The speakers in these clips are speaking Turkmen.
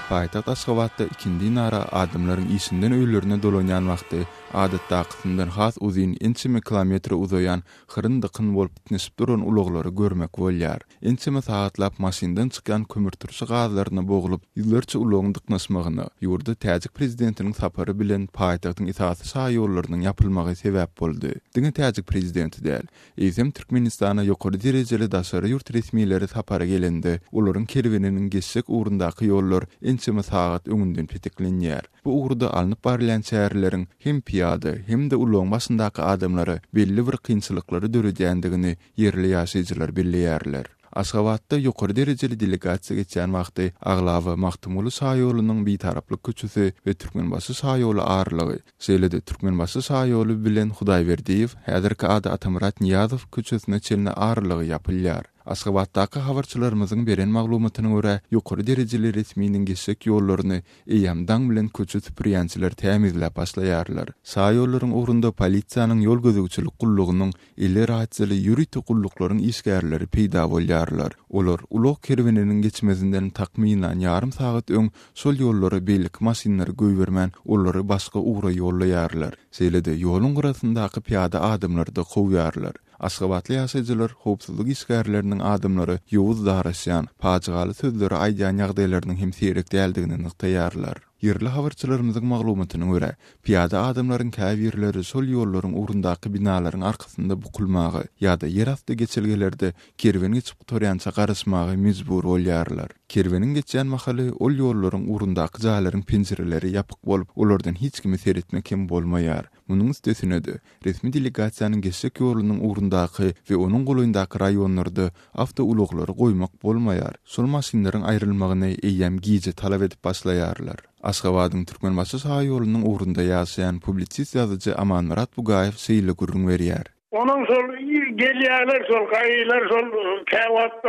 Paýtagt Aşgabatda ikindinara adamlaryň işinden öýlerine dolanýan wagty adatdakysyndan has uzyn ençeme kilometre uzaýan hyryn-dykyn bolup itnişip duran ulaglary görmek bolýar. Ençeme sagatlap maşyndan çykýan kömürturşy gazlaryna boglup, ýüzlerçe ulagyň dyknyşmagyna, ýurda täjik prezidentiniň sapary bilen paýtagtyň esasy şaýollarynyň ýapylmagy sebäp boldy. Diňe täjik prezidenti däl, eýsem Türkmenistana ýokary derejeli daşary ýurt resmileri sapara gelende, olaryň kerweniniň geçjek ugrundaky ýollar ençeme sagat öňünden peteklenýär. Bu ugurda alnyp barylýan çäreleriň hem pyýada, hem-de ulagyň başyndaky adamlara belli bir kynçylyklary döredýändigini ýerli ýaşaýjylar belleýärler. Aşgabatda ýokary derejeli delegasiýa geçýän wagty aglaba Magtymguly şaýolunyň Bitaraplyk köçesi we Türkmenbaşy şaýoly aralygy, şeýle-de Türkmenbaşy şaýoly bilen Hudaýberdiýew, häzirki ady Atamyrat Nyýazow, köçesine çenli aralygy ýapylýar. Aşgabatdaky habarçylarymyzyň beren maglumatyna görä, ýokary derejeli resminiň geçjek ýollaryny Eýýäm daň bilen köçe süpürýänçiler tämizläp başlaýarlar. Şaýollaryň ugrunda polisiýanyň ýol gözegçilik gullugynyň eli rasiýaly ýörite gulluklaryň işgärleri peýda bolýarlar. Olar ulag kerweniniň geçmezinden takmynan ýarym sagat öň şol ýollara beýleki maşynlary goýbermän, olary başga ugra ýollaýarlar. Şeýle-de, ýoluň gyrasyndaky pyýada adamlary-da kowýarlar. Aşgabatly ýaşaýjylar howpsuzlyk işgärleriniň adamlara ýowuz daraşýan, pajygaly sözleri aýdýan ýagdaýlarynyň hem seýrek däldigini nygtaýarlar. Ýerli habarçylarymyzyň maglumatyna görä, pyýada adamlaryň käbirleri şol ýollaryň ugrundaky binalaryň arkasynda bukulmaga ýa-da ýerasty geçelgelerde kerwen geçip gutarýança garaşmaga mejbur bolýarlar. Kerweniň geçýän mahaly ol ýollaryň ugrundaky jaýlaryň penjireleri ýapyk bolup, olardan hiç kime seretmek hem bolmaýar. Munuň üstesine-de, resmi delegasiýanyň geçjek ýolunyň ugrundaky we onuň golaýyndaky raýonlarda awtoulaglary goýmak bolmaýar. Şol maşynlaryň aýrylmagyny eýýäm gije talap edip başlaýarlar. Aşgabadyň Türkmenbaşy şaýolunyň ugrunda ýaşaýan publisist ýazyjy Amanmyrat Bugaýew şeýle gürrüň berýär. Onuň şol gelýärler şol gaýylar şol käwagt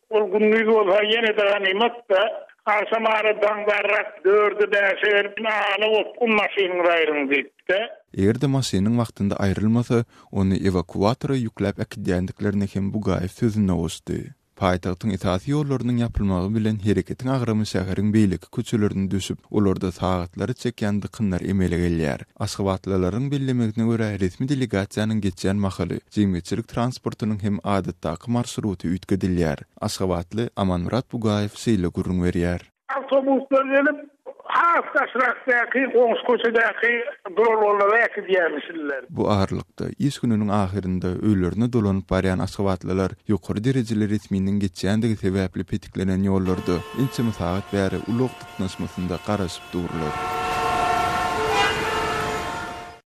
ol gündiz bolsa ýene-de ganymat-da. Agşam ara daňdarrak dörde bäşe gelip ala gopgun maşynyňyzy aýryň diýipdi. Eger-de maşynyň wagtynda aýrylmasa, ony ewakuatora ýükläp äkidýändiklerini hem Bugaýew sözüne goşdy. Paýtagtyň esasy ýollarynyň ýapylmagy bilen hereketiň agramy şäheriň beýleki köçelerine düşüp, olarda sagatlary çekýän dykynlar emele gelýär. Aşgabatlylaryň bellemegine görä, resmi delegasiýanyň geçýän mahaly jemgyýetçilik transportynyň hem adatdaky marşruty üýtgedilýär. Aşgabatly Amanmyrat Bugaýew şeýle gürrüň berýär. Awtobuslar gelip, has daşrakdaky goňşy köçedäki duralgalara äkidýärmişinler. Bu aralykda, iş gününiň ahyrynda öýlerine dolanyp barýan aşgabatlylar ýokary derejeli resminiň geçýändigi sebäpli petiklenen ýollarda ençeme sagat bäri ulag dyknyşmasynda garaşyp durlar.